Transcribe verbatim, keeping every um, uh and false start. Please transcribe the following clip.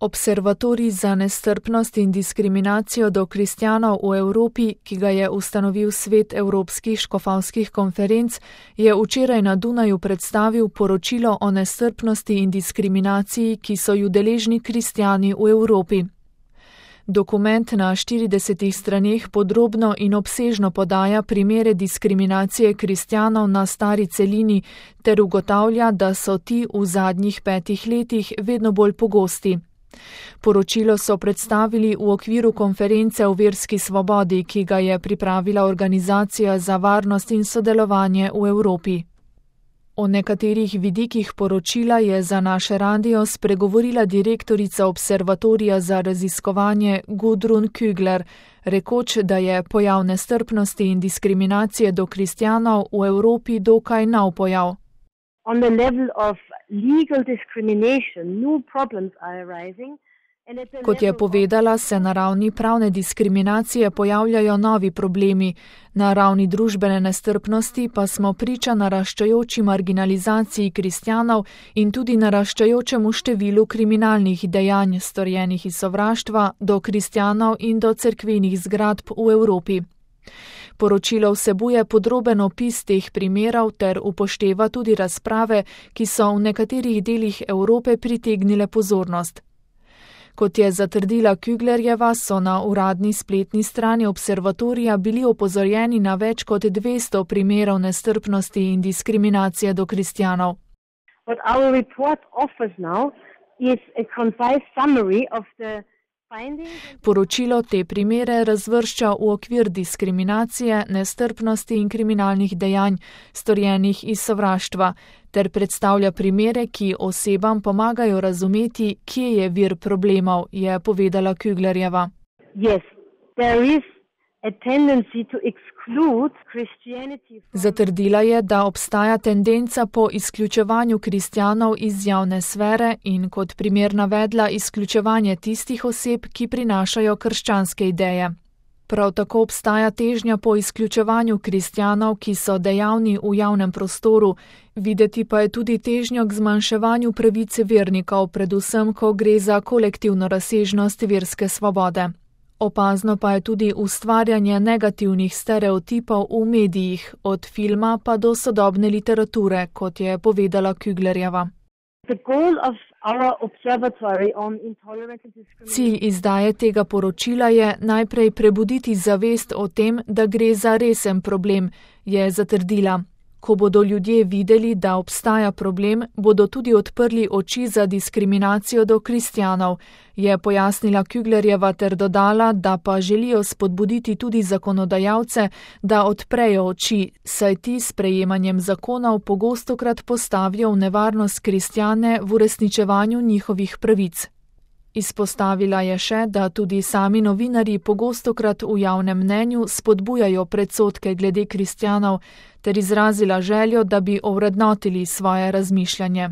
Observatorij za nestrpnost in diskriminacijo do kristjanov v Evropi, ki ga je ustanovil Svet evropskih škofovskih konferenc, je včeraj na Dunaju predstavil poročilo o nestrpnosti in diskriminaciji, ki so ju deležni kristjani v Evropi. Dokument na štiridesetih straneh podrobno in obsežno podaja primere diskriminacije kristjanov na stari celini ter ugotavlja, da so ti v zadnjih petih letih vedno bolj pogosti. Poročilo so predstavili v okviru konference o verski svobodi, ki ga je pripravila Organizacija za varnost in sodelovanje v Evropi. O nekaterih vidikih poročila je za naše radio spregovorila direktorica Observatorija za raziskovanje Gudrun Kügler, rekoč, da je pojav nestrpnosti in diskriminacije do kristjanov v Evropi dokaj nov pojav. On the level of legal discrimination, new problems are arising. Kot je povedala, se na ravni pravne diskriminacije pojavljajo novi problemi, na ravni družbene nestrpnosti pa smo priča naraščajoči marginalizaciji kristjanov in tudi naraščajočemu številu kriminalnih dejanj, storjenih iz sovraštva do kristjanov in do cerkvenih zgradb v Evropi. Poročilo vsebuje podroben opis teh primerov ter upošteva tudi razprave, ki so v nekaterih delih Evrope pritegnile pozornost. Kot je zatrdila Küglerjeva, so na uradni spletni strani observatorija bili opozorjeni na več kot dvesto primerov nestrpnosti in diskriminacije do kristjanov. What our report offers now is a concise summary of the Poročilo te primere razvršča v okvir diskriminacije, nestrpnosti in kriminalnih dejanj, storjenih iz sovraštva, ter predstavlja primere, ki osebam pomagajo razumeti, kje je vir problemov, je povedala Küglerjeva. Yes, there is a tendency to exclude Christianity from... Zatrdila je, da obstaja tendenca po izključevanju kristjanov iz javne sfere in kot primer navedla izključevanje tistih oseb, ki prinašajo krščanske ideje. Prav tako obstaja težnja po izključevanju kristjanov, ki so dejavni v javnem prostoru, videti pa je tudi težnjo k zmanjševanju pravice vernikov, predvsem ko gre za kolektivno razsežnost verske svobode. Opazno pa je tudi ustvarjanje negativnih stereotipov v medijih, od filma pa do sodobne literature, kot je povedala Küglerjeva. Cilj izdaje tega poročila je najprej prebuditi zavest o tem, da gre za resen problem, je zatrdila. Ko bodo ljudje videli, da obstaja problem, bodo tudi odprli oči za diskriminacijo do kristjanov, je pojasnila Küglerjeva ter dodala, da pa želijo spodbuditi tudi zakonodajalce, da odprejo oči, saj ti s sprejemanjem zakonov pogostokrat postavijo v nevarnost kristjane v uresničevanju njihovih pravic. Izpostavila je še, da tudi sami novinarji pogostokrat v javnem mnenju spodbujajo predsodke glede kristjanov ter izrazila željo, da bi ovrednotili svoje razmišljanje.